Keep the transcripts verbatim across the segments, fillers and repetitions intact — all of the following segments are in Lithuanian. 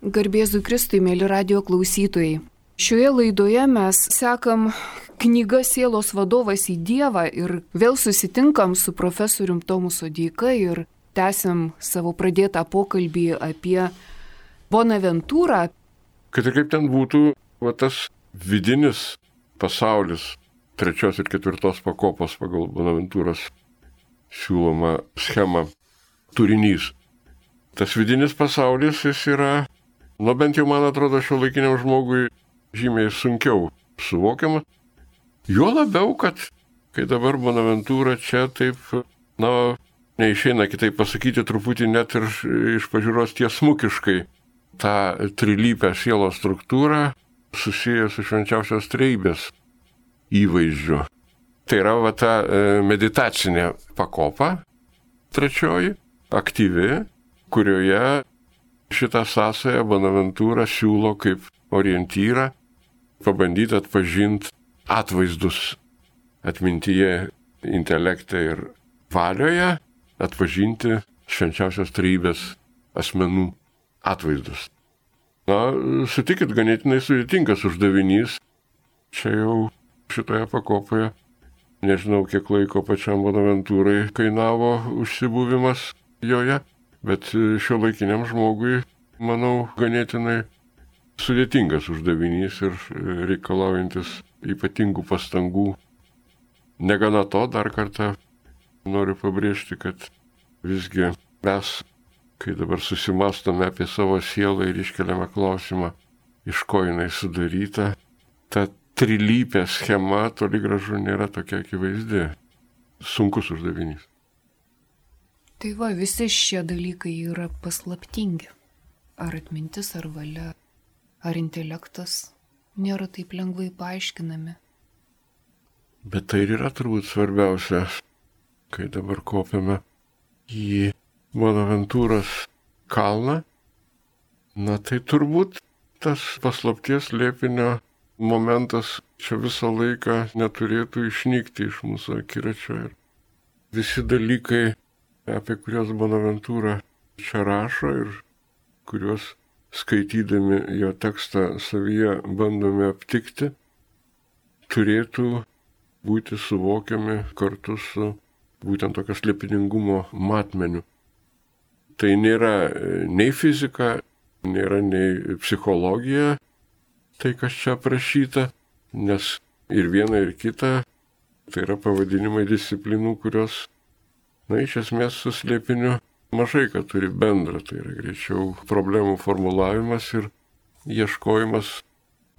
Garbėzui Kristui, mėly radio klausytojai. Šioje laidoje mes sekam knygą Sielos vadovas į Dievą ir vėl susitinkam su profesorium Tomu Sodeika ir tęsiam savo pradėtą pokalbį apie Bonaventūrą. Kad ir kaip ten būtų, va tas vidinis pasaulis trečios ir ketvirtos pakopos pagal Bonaventūros siūloma schema turinys. Tas vidinis pasaulis, jis yra, nu bent jau man atrodo, šiuolaikiniam žmogui žymiai sunkiau suvokiama. Juo labiau, kad kai dabar Bonaventūra čia taip, na, neišeina kitaip pasakyti, truputį net ir iš pažiūros tiesmukiškai tą trilypę sielos struktūrą susiję su švenčiausios trejybės įvaizdžiu. Tai yra va ta meditacinė pakopa, trečioji, aktyvi, kurioje šitą sąsają Bonaventūra siūlo kaip orientyrą pabandyti atpažinti atvaizdus atmintyje, intelekte ir valioje, atpažinti švenčiausios trejybės asmenų atvaizdus. Na, sutikit, ganėtinai sudėtingas uždavinys. Čia jau šitoje pakopoje, nežinau, kiek laiko pačiam Bonaventūrai kainavo užsibuvimas joje, bet šiuolaikiniam žmogui, manau, ganėtinai sudėtingas uždavinys ir reikalaujantis ypatingų pastangų. Negana to, dar kartą noriu pabrėžti, kad visgi mes, kai dabar susimastome apie savo sielą ir iškeliame klausimą, iš ko jinai sudaryta, ta trilypė schema toli gražu nėra tokia akivaizdi. Sunkus uždavinys. Tai va, visi šie dalykai yra paslaptingi. Ar atmintis, ar valia, ar intelektas nėra taip lengvai paaiškinami. Bet tai ir yra turbūt svarbiausia, kai dabar kopiame į Bonaventūros kalną. Na tai turbūt tas paslapties slėpinio momentas čia visą laiką neturėtų išnykti iš mūsų akiračio. Ir visi dalykai, apie kuriuos Bonaventūra čia rašo ir kuriuos skaitydami jo tekstą savyje bandome aptikti, turėtų būti suvokiami kartu su būtent tokio slėpiningumo matmeniu. Tai nėra nei fizika, nėra nei psichologija, tai kas čia aprašyta, nes ir viena ir kita tai yra pavadinimai disciplinų, kurios, na, iš esmės su slėpiniu mažai ką turi bendra. Tai yra greičiau problemų formulavimas ir ieškojimas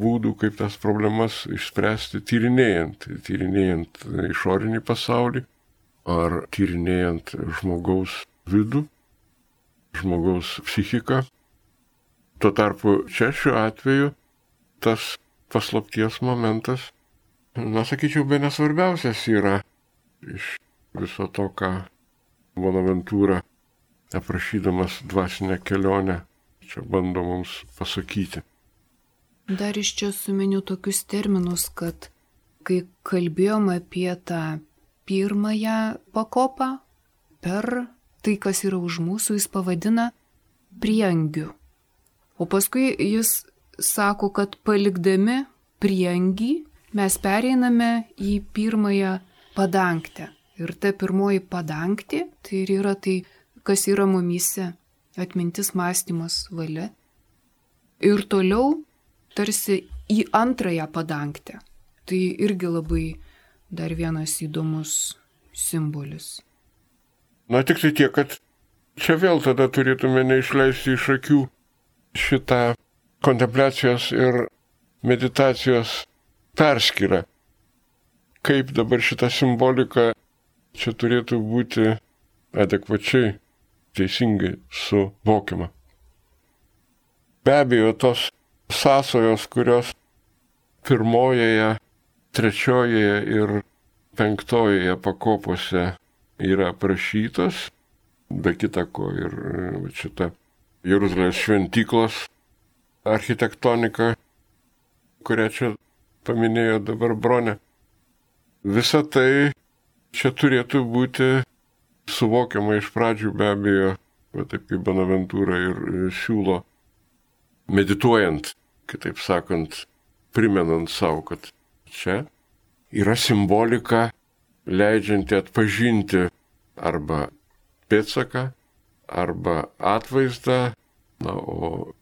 būdų, kaip tas problemas išspręsti tyrinėjant, tyrinėjant išorinį pasaulį ar tyrinėjant žmogaus vidų, žmogaus psichiką. Tuo tarpu čia šiuo atveju tas paslapties momentas, na, sakyčiau, be nesvarbiausias yra iš viso to, ką Bonaventūra, aprašydamas dvasinę kelionę, čia bando mums pasakyti. Dar iš čia suminiu tokius terminus, kad kai kalbėjom apie tą pirmąją pakopą, per tai, kas yra už mūsų, jis pavadina prieangiu. O paskui jis sako, kad palikdami prieangį mes pereiname į pirmąją padangtę. Ir ta pirmoji padangtė, tai ir yra tai, kas yra mumyse, atmintis, mąstymas, valia. Ir toliau tarsi į antrąją padangtę. Tai irgi labai dar vienas įdomus simbolis. Na tik tai tiek, kad čia vėl tada turėtume neišleisti iš akių šitą kontempliacijos ir meditacijos perskyrą. Kaip dabar šita simbolika čia turėtų būti adekvačiai, teisingai suvokiama. Be abejo, tos sąsajos, kurios pirmojoje, trečiojoje ir penktojoje pakopose yra aprašytos, be kita ko ir šita Jeruzalės šventyklos architektonika, kurią čia paminėjo dabar Bronė. Visa tai čia turėtų būti suvokiama iš pradžių, be abejo, va taip kaip Bonaventūra ir siūlo, medituojant, kitaip sakant, primenant savo, kad čia yra simbolika leidžianti atpažinti arba pėdsaką, arba atvaizdą, na, o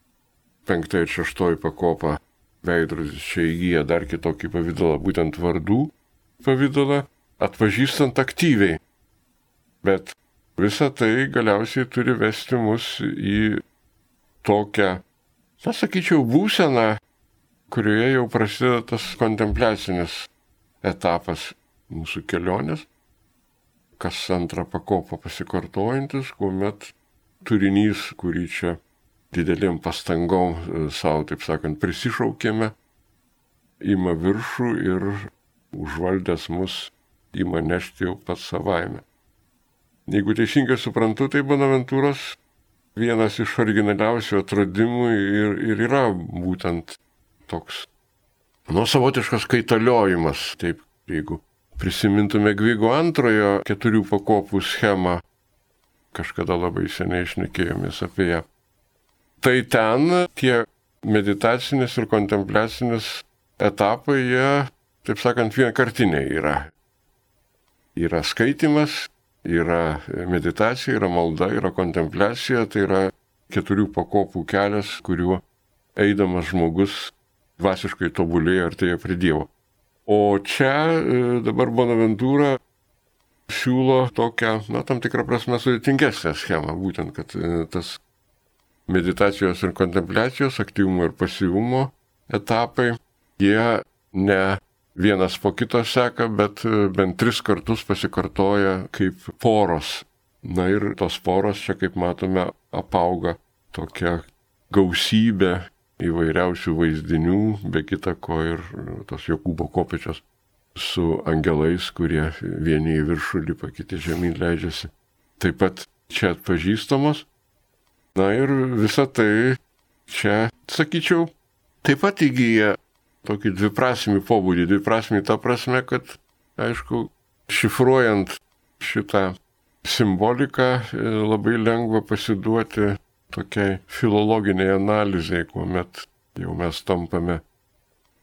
penkta ir šeštoji pakopa veidrodis čia įgyja dar kitokį pavydalą, būtent vardų pavydalą, atpažįstant aktyviai. Bet visa tai galiausiai turi vesti mus į tokią, na, sakyčiau, būseną, kurioje jau prasideda tas kontempliacinis etapas mūsų kelionės, kas antrą pakopą pasikartojantis, kuomet turinys, kurį čia didelėm pastangom savo, taip sakant, prisišaukėme, ima viršų ir užvaldęs mus ima nešti jau pats savaime. Jeigu teisingai suprantu, tai Bonaventūros vienas iš originaliausių atradimų ir, ir yra būtent toks, nu, savotiškas kaitaliojimas. Taip, jeigu prisimintume Gvigo antrojo keturių pakopų schemą, kažkada labai seniai šnekėjomės apie ją. Tai ten tie meditacinis ir kontempliacinis etapai, jie, taip sakant, vienkartiniai yra. Yra skaitimas, yra meditacija, yra malda, yra kontempliacija, tai yra keturių pakopų kelias, kuriuo eidamas žmogus dvasiškai tobulėja, artėja prie Dievo. O čia dabar Bonaventūra siūlo tokią, na, tam tikrą prasme sudėtingesnę schemą, būtent, kad tas meditacijos ir kontempliacijos, aktyvumo ir pasyvumo etapai, jie ne vienas po kito seka, bet bent tris kartus pasikartoja kaip poros. Na ir tos poros čia, kaip matome, apauga tokia gausybė įvairiausių vaizdinių, be kita ko ir tos Jokūbo kopėčios su angelais, kurie vieni į viršų lipa, kiti žemyn leidžiasi. Taip pat čia atpažįstamos. Na ir visa tai čia, sakyčiau, taip pat įgyja tokį dviprasmį pobūdį. Dviprasmį ta prasme, kad, aišku, šifruojant šitą simboliką labai lengva pasiduoti tokiai filologiniai analizai, kuomet jau mes tampame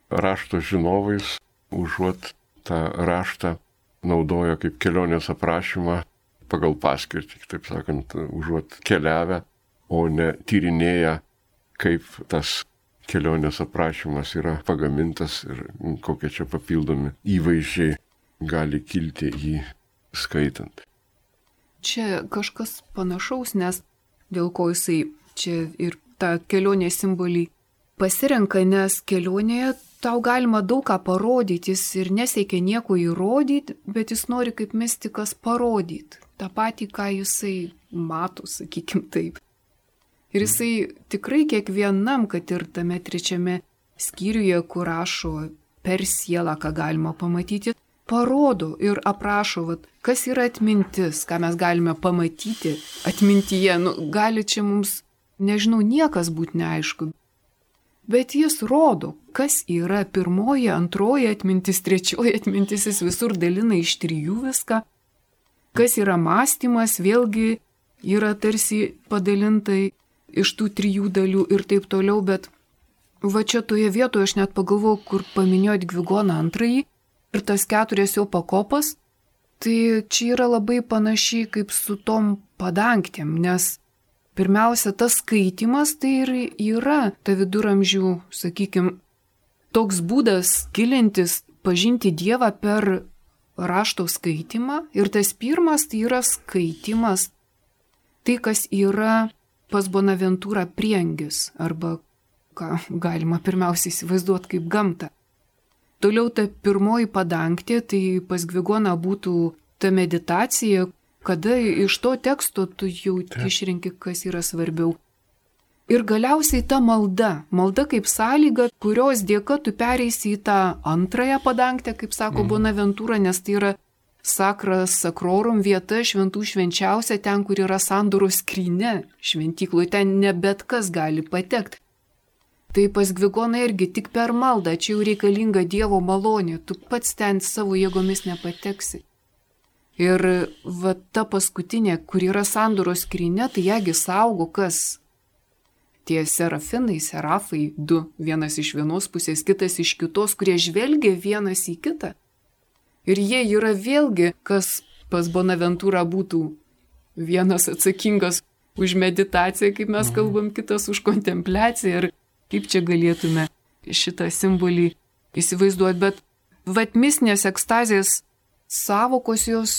rašto žinovais, užuot tą raštą naudoja kaip kelionės aprašymą pagal paskirtį, taip sakant, užuot keliavę, o ne tyrinėja, kaip tas kelionės aprašymas yra pagamintas ir kokie čia papildomi įvaizdžiai gali kilti jį skaitant. Čia kažkas panašaus, nes dėl ko jisai čia ir tą kelionės simbolį pasirenka, nes kelionėje tau galima daug ką parodyti, jis ir nesiekia nieko įrodyti, bet jis nori kaip mistikas parodyti tą patį, ką jisai mato, sakykim taip. Ir jisai tikrai kiekvienam, kad ir tame trečiame skyriuje, kur rašo per sielą, ką galima pamatyti, parodo ir aprašo, vat, kas yra atmintis, ką mes galime pamatyti atmintyje. Nu, gali čia mums, nežinau, niekas būti neaišku. Bet jis rodo, kas yra pirmoji, antroji atmintis, trečioji atmintis, jis visur dalina iš trijų viską. Kas yra mąstymas, vėlgi yra tarsi padalintai iš tų trijų dalių ir taip toliau, bet va čia toje vietoje aš net pagalvojau, kur paminėjot Gvigoną antrąjį ir tas keturias jo pakopas, tai čia yra labai panašiai kaip su tom padangtėm, nes pirmiausia, tas skaitimas tai ir yra ta viduramžių, sakykime, toks būdas gilintis, pažinti Dievą per rašto skaitimą ir tas pirmas tai yra skaitimas, tai kas yra pas Bonaventūrą priengis, arba ką galima pirmiausiai įsivaizduoti kaip gamtą. Toliau ta pirmoji padangtė, tai pas Gvigoną būtų ta meditacija, kada iš to teksto tu jau išrenki, kas yra svarbiau. Ir galiausiai ta malda, malda kaip sąlyga, kurios dėka tu pereisi į tą antrąją padangtę, kaip sako mm. Bonaventūra, nes tai yra sakras sakrorum vieta, šventų švenčiausia, ten, kur yra sandoros skrynia šventykloje, ten ne bet kas gali patekti. Tai pas Gvigoną irgi tik per maldą, čia jau reikalinga Dievo malonė, tu pats ten savo jėgomis nepateksi. Ir va ta paskutinė, kur yra sandoros skrynia, tai jagi saugo kas? tie serafinai, serafai, du, vienas iš vienos pusės, kitas iš kitos, kurie žvelgia vienas į kitą. Ir jie yra vėlgi, kas pas Bonaventūrą būtų vienas atsakingas už meditaciją, kaip mes kalbam, kitas už kontempliaciją. Ir kaip čia galėtume šitą simbolį įsivaizduoti. Bet vat mistinės ekstazės savokos jos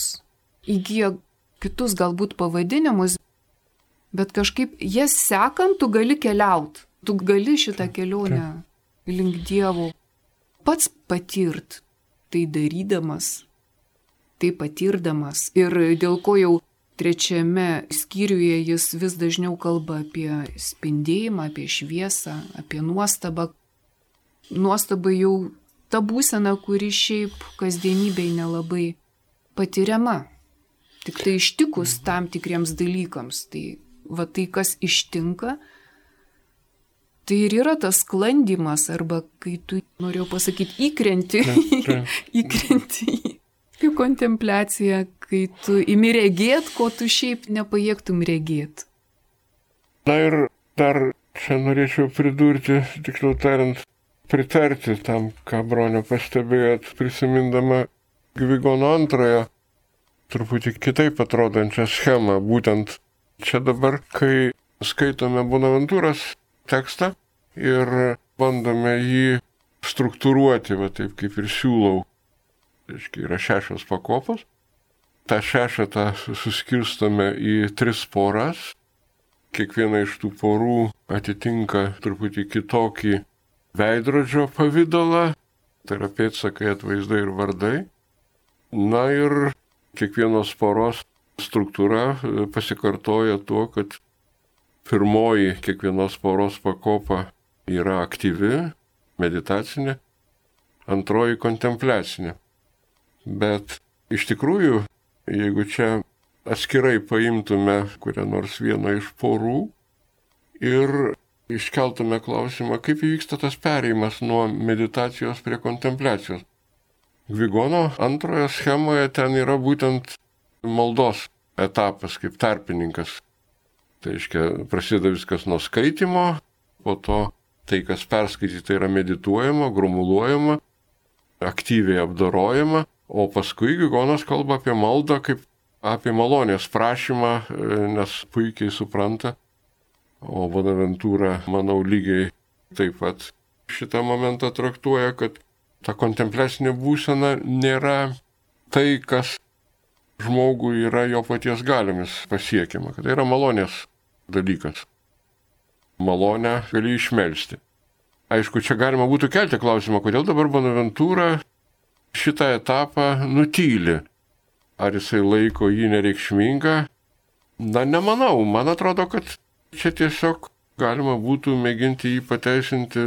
įgyja kitus galbūt pavadinimus, bet kažkaip jas sekant tu gali keliauti. Tu gali šitą kelionę link Dievo pats patirt, tai darydamas, tai patirdamas. Ir dėl ko jau trečiame skyriuje jis vis dažniau kalba apie spindėjimą, apie šviesą, apie nuostabą. Nuostaba jau ta būsena, kuri šiaip kasdienybėj nelabai patiriama. Tik tai ištikus tam tikriems dalykams. Tai va tai, kas ištinka, tai ir yra tas sklandymas, arba kai tu, norėjau pasakyti, įkrenti, įkrenti į kontempliaciją, kai tu imi regėt, ko tu šiaip nepajėgtum regėt. Na ir dar čia norėčiau pridurti, tiksliau tariant, pritarti tam, ką Bronė pastebėjot, prisimindama Gvigono antrojo, truputį kitaip atrodančią schemą. Būtent čia dabar, kai skaitome Bonaventūros tekstą ir bandome jį struktūruoti, va taip kaip ir siūlau. Reiškia, yra šešios pakopos. tą šešetą suskirstome į tris poras. Kiekviena iš tų porų atitinka truputį kitokį veidrodžio pavidalą, tai yra pėdsakai, atvaizdai ir vardai. Na ir kiekvienos poros struktūra pasikartoja tuo, kad pirmoji kiekvienos poros pakopa yra aktyvi, meditacinė, antroji kontempliacinė. Bet iš tikrųjų, jeigu čia atskirai paimtume kurią nors vieną iš porų ir iškeltume klausimą, kaip įvyksta tas perėjimas nuo meditacijos prie kontempliacijos. Gvigono antrojo schemoje ten yra būtent maldos etapas kaip tarpininkas. Tai reiškia, prasideda viskas nuo skaitimo, po to tai, kas perskaityta, yra medituojama, grumuluojama, aktyviai apdorojama, o paskui Gvigonas kalba apie maldą kaip apie malonės prašymą, nes puikiai supranta, o Bonaventūra, manau, lygiai taip pat šitą momentą traktuoja, kad ta kontempliacinė būsena nėra tai, kas žmogui yra jo paties galiomis pasiekiama, kad tai yra malonės dalykas. Malonę gali išmelsti. Aišku, čia galima būtų kelti klausimą, kodėl dabar Bonaventūra šitą etapą nutyli. Ar jisai laiko jį nereikšmingą? Na, nemanau. Man atrodo, kad čia tiesiog galima būtų mėginti jį pateisinti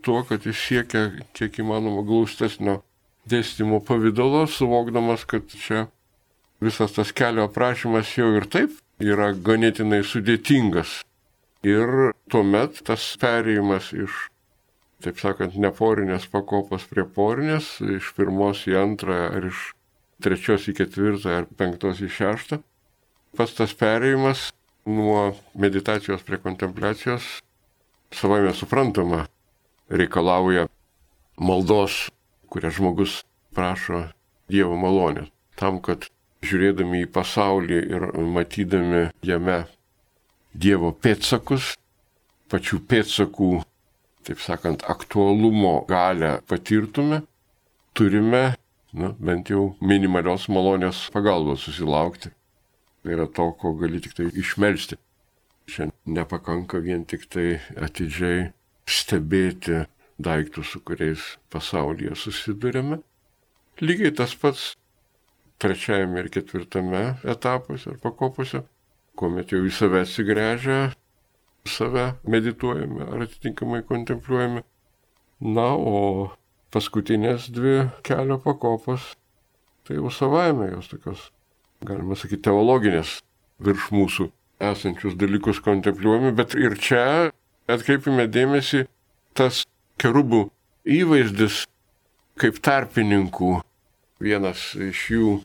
tuo, kad jis siekia kiek įmanoma glaustesnio dėstymo pavidalo, suvokdamas, kad čia visas tas kelio aprašymas jau ir taip yra ganėtinai sudėtingas. Ir tuomet tas perėjimas iš, taip sakant, neporinės pakopos prie porinės, iš pirmos į antrą ar iš trečios į ketvirtą ar penktos į šeštą, pats tas perėjimas nuo meditacijos prie kontempliacijos savaime suprantama reikalauja maldos, kurią žmogus prašo Dievo malonės. Tam, kad žiūrėdami į pasaulį ir matydami jame Dievo pėdsakus, pačių pėdsakų, taip sakant, aktualumo galę patirtume, turime, na, bent jau minimalios malonės pagalbos susilaukti. Tai yra to, ko gali tik tai išmelsti. Čia nepakanka vien tik tai atidžiai stebėti daiktus, su kuriais pasaulyje susidurėme. Lygiai tas pats trečiajame ir ketvirtame etapuose ar pakopose, kuomet jau į save atsigręžę, save medituojame ar atitinkamai kontempliuojame. Na, o paskutinės dvi kelio pakopos, tai jau savaime jos tokios, galima sakyti, teologinės virš mūsų esančius dalykus kontempliuojame, bet ir čia atkreipime dėmesį tas kerubų įvaizdis kaip tarpininkų. Vienas iš jų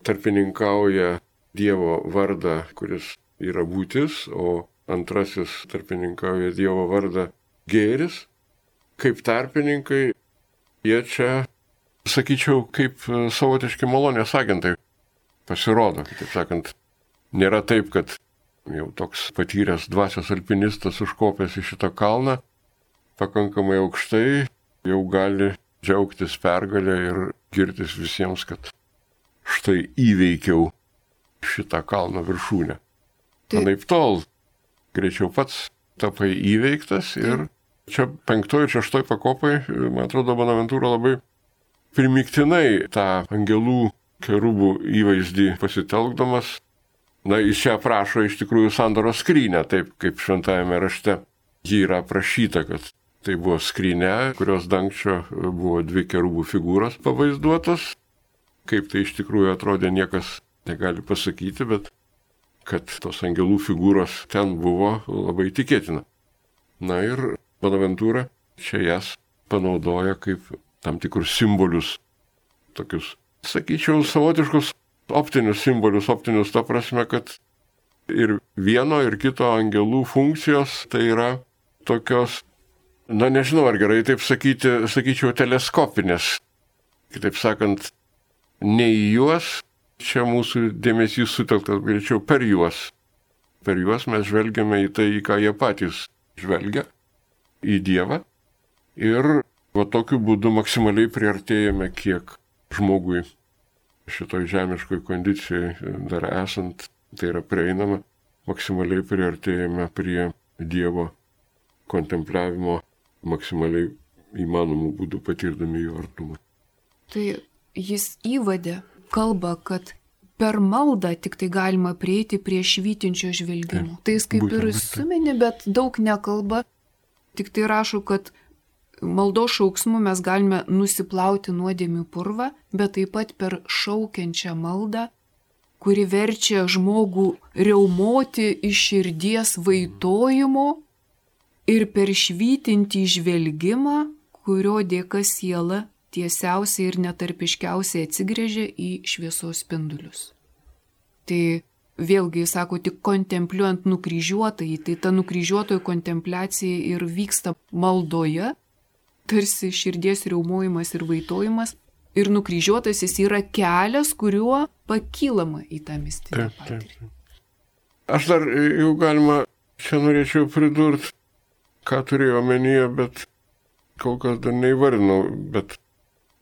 tarpininkauja Dievo vardą, kuris yra būtis, o antrasis tarpininkauja Dievo vardą gėris. Kaip tarpininkai, jie čia, sakyčiau, kaip savotiški malonės agentai pasirodo. Taip sakant, nėra taip, kad jau toks patyręs dvasios alpinistas užkopęs į šitą kalną, pakankamai aukštai, jau gali džiaugtis pergalę ir girtis visiems, kad štai įveikiau šitą kalno viršūnę. Tai... Anaip tol, greičiau pats tapai įveiktas ir čia penktoji ir šeštoji pakopai, man atrodo, Bonaventūra labai primiktinai tą angelų kerubų įvaizdį pasitelkdamas. Na, jis čia aprašo iš tikrųjų sandoros skrynę, taip kaip šventajame rašte. Ji yra aprašyta, kad tai buvo skrynė, kurios dangčio buvo dvi kerubų figūros pavaizduotos. Kaip tai iš tikrųjų atrodė, niekas negali pasakyti, bet kad tos angelų figūros ten buvo labai tikėtina. Na ir Bonaventūra čia jas panaudoja kaip tam tikrus simbolius, tokius, sakyčiau, savotiškus optinius simbolius, optinius ta prasme, kad ir vieno, ir kito angelų funkcijos tai yra tokios, na nežinau, ar gerai taip sakyti, sakyčiau, teleskopinės. Kitaip sakant, ne į juos, čia mūsų dėmesys sutelktas greičiau per juos. Per juos mes žvelgiame į tai, į ką jie patys žvelgia, į Dievą. Ir va tokiu būdu maksimaliai priartėjame, kiek žmogui šitoj žemiškoj kondicijai dar esant, tai yra prieinama, maksimaliai priartėjame prie Dievo kontempliavimo, maksimaliai įmanomų būdų patirdami jo artumą. Tai jis įvadė kalbą, kad per maldą tik tai galima prieiti prie švytinčio žvelgimo. Tai jis kaip ir suminė, bet daug nekalba, tik tai rašo, kad maldos šauksmu mes galime nusiplauti nuodėmių purvą, bet taip pat per šaukiančią maldą, kuri verčia žmogų riaumoti iš širdies vaitojimo ir per švytintį žvelgimą, kurio dėka siela tiesiausiai ir netarpiškiausiai atsigrėžia į šviesos spindulius. Tai vėlgi, jis sako, tik kontempliuojant nukryžiuotąjį, tai ta nukryžiuotojo kontempliacija ir vyksta maldoje, tarsi širdies riaumojimas ir vaitojimas, ir nukryžiuotasis yra kelias, kuriuo pakylama į tą mistinę patirtį. Aš dar jau galima, čia norėčiau pridurti, ką turėjau omenyje, bet kol kas dar neįvardinau, bet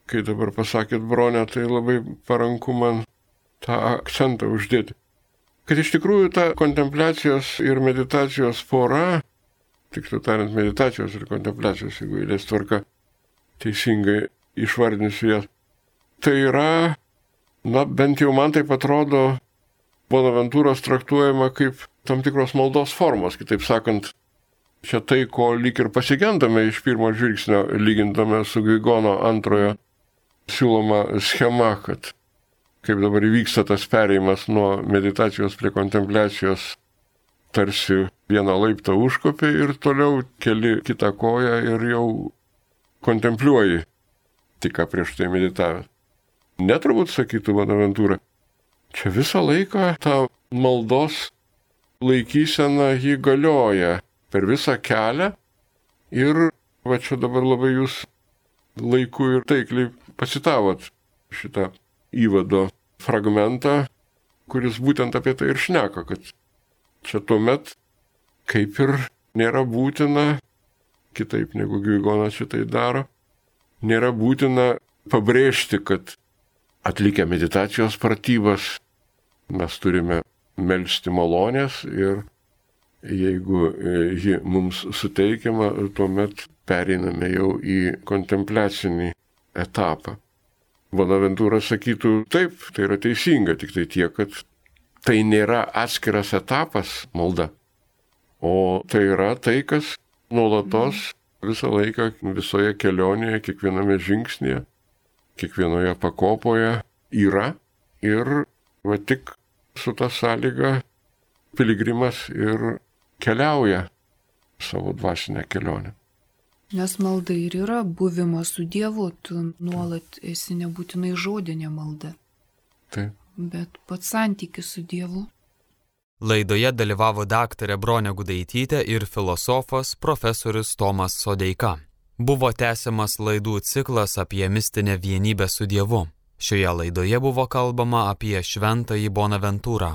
kai dabar pasakėt, Bronė, tai labai paranku man tą akcentą uždėti. Kad iš tikrųjų ta kontempliacijos ir meditacijos pora, tiksliau tariant, meditacijos ir kontempliacijos, jeigu eilės tvarka teisingai išvardinsiu jas, tai yra, na, bent jau man taip atrodo, Bonaventūros traktuojama kaip tam tikros maldos formos, kitaip sakant, čia tai, ko lyg ir pasigendame iš pirmo žvilgsnio, lygindame su Guigono antrojo siūloma schema, kad kaip dabar įvyksta tas perėjimas nuo meditacijos prie kontempliacijos, tarsi vieną laiptą užkopi ir toliau keli kitą koją ir jau kontempliuoji, tik ką prieš tai meditavęs. Neturbūt sakytų Bonaventūra, čia visą laiką ta maldos laikysena jį galioja per visą kelią ir va čia dabar labai jūs laiku ir taikliai pacitavot šitą įvado fragmentą, kuris būtent apie tai ir šneka, kad čia tuomet kaip ir nėra būtina, kitaip negu Guigonas šitai daro, nėra būtina pabrėžti, kad atlikę meditacijos pratybas mes turime melsti malonės ir jeigu ji mums suteikiama, tuomet pereiname jau į kontempliacinį etapą. Bonaventūra sakytų, taip, tai yra teisinga, tik tai tiek, kad tai nėra atskiras etapas malda, o tai yra tai, kas nuolatos visą laiką, visoje kelionėje, kiekviename žingsnėje, kiekvienoje pakopoje yra ir va tik su ta sąlyga piligrimas ir keliauja savo dvasinę kelionę. Nes malda ir yra buvimas su Dievu, tu nuolat esi nebūtinai žodinė malda, Taip. bet pats santykis su Dievu. Laidoje dalyvavo daktarė Bronė Gudaitytė ir filosofas profesorius Tomas Sodeika. Buvo tęsiamas laidų ciklas apie mistinę vienybę su Dievu. Šioje laidoje buvo kalbama apie šventąjį Bonaventūrą.